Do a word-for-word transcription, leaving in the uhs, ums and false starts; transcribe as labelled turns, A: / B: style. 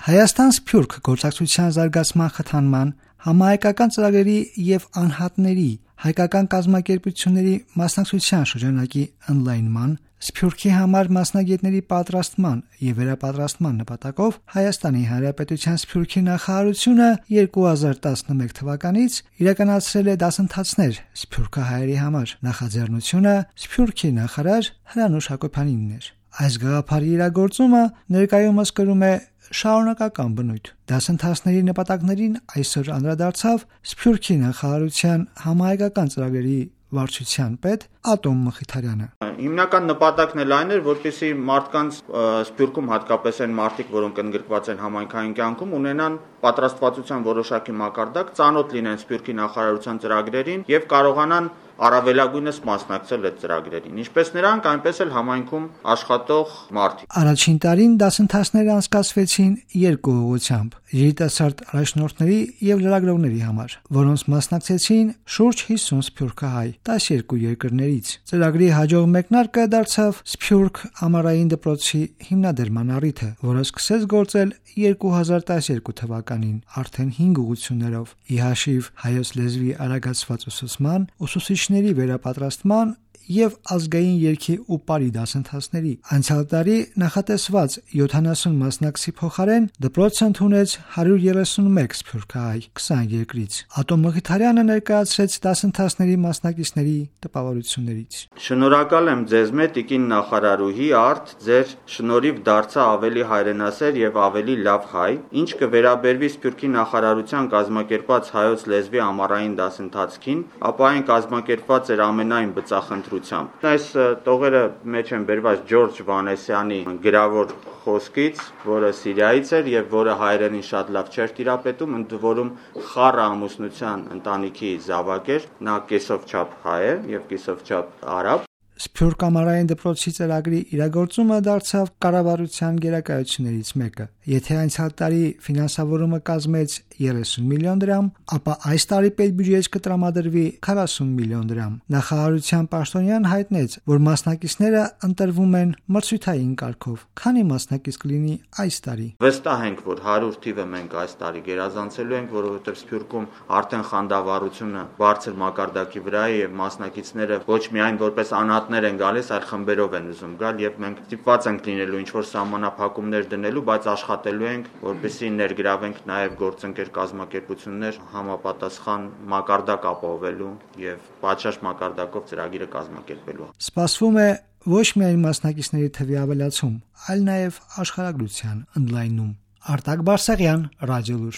A: Հայաստան-Սփյուռք գործակցության զարգացման խթանման, համահայկական ծրագրերի եւ անհատների, հայկական կազմակերպությունների մասնակցության շրջանակի ընդլայնման, Սփյուռքի համար մասնագետների պատրաստման եւ վերապատրաստման նպատակով Հայաստանի Հանրապետության Սփյուռքի նախարարությունը երկու հազար տասնմեկ թվականից իրականացրել է դասընթացներ սփյուռքահայերի համար։ Նախաձեռնությունը Սփյուռքի նախարար Հրանուշ Հակոբյանինն էր։ Այս գաղափարի իրագործումը ներկայումս կրում է շարունակական բնույթ։ Դասընթացների նպատակներին այսօր անդրադարձավ Սփյուռքի նախարարության համահայկական ծրագրերի վարչության պետ Ատոմ Մխիթարյանը։
B: Հիմնական նպատակն էլ այն էր, որպեսզի մարդկանց Սփյուռքում հատկապես այն մարդիկ, որոնք ընդգրկված են համայնքային կյանքում, ունենան պատրաստվածության որոշակի մակարդակ, ծանոթ լինեն Սփյուռքի նախարարության ծրագրերին եւ կարողանան առավելագույնս մասնակցել այդ ծրագրերին, ինչպես նրանք, այնպես էլ համայնքում աշխատող մարդիկ։
A: Առաջին տարին դասընթացները անցկացվեցին երկու ուղղությամբ՝ երիտասարդ առաջնորդների եւ լրագրողների համար, որոնց մասնակցեցին շուրջ հիսուն սփյուռքահայ տասներկու երկրներից։ Ծրագրի հաջող մեկնարկը դարձավ Սփյուռք ամառային դպրոցի հիմնադրման առիթը, որը սկսեց գործել երկու հազար տասներկու թվականին արդեն հինգ ուղղություններով՝ ի հաշիվ հայոց լեզվի արագացված ուսուցման, ուսուցիչների վերապատրաստման եւ ազգային երգի ու պարի դասընթացների։ Անցյալ տարի նախատեսված յոթանասուն մասնակցի փոխարեն դպրոցը ընդունեց հարյուր երեսունմեկ սփյուռքահայ քսան երկրից։ Ատոմ Մխիթարյանը ներկայացրեց դասընթացների մասնակիցների տպավորություններից։
B: Շնորհակալ եմ ձեզ մեծ տիկին նախարարուհի արդ ձեր շնորհիվ դարձա ավելի հայրենասեր եւ ավելի լավ հայ, ինչ կվերաբերվի Սփյուռքի նախարարության կազմակերպած հայոց լեզվի ամառային դասընթացքին, ապա այն կազմակերպված էր ամենայն բծախնդրությամբ։ Այս տողերը մեջ են բերված Ջորջ Վանեսյանի գրավոր խոսքից, որը Սիրիայից էր եւ որը հայերենին շատ լավ չէր տիրապետում, ընդ որում խառը ամուսնության ընտանիքի զավակ էր, նա կեսով չափ հայ է եւ կեսով չափ արաբ։
A: Սփյուռք ամառային դպրոցի ծրագրի իրագործումը դարձավ կառավարության գերակայություններից մեկը։ Եթե անցյալ տարի ֆինանսավորումը կազմեց երեսուն միլիոն դրամ, ապա այս տարի պետբյուջեից կտրամադրվի քառասուն միլիոն դրամ։ Նախարարության պաշտոնյան հայտնեց, որ մասնակիցները ընտրվում են մրցույթային կարգով։ Քանի մասնակից կլինի այս տարի։
B: Վստահ ենք, որ հարյուր թիվը մենք այս տարի գերազանցելու ենք, որովհետեւ Սփյուռքում արդեն խանդավառությունը բարձր մակարդակի վրա է եւ մասնակիցները ոչ միայն որպես անհատներ են գալիս, այլ խմբերով են ուզում գալ եւ մենք ստիպված ենք լինելու ինչ-որ սահմանափակումներ դնելու, բայց աշխատելու ենք, որպեսզի ներգրավենք նաեւ գործընկեր կազմակերպություններ համապատասխան մակարդակ ապահովելու եւ պատշաճ մակարդակով ծրագիրը կազմակերպելու։
A: Սպասվում է ոչ միայն մասնակիցների թվի ավելացում, այլ նաեւ աշխարհագրության ընդլայնում։ Արտակ Բարսեղյան, Ռադիոլուր։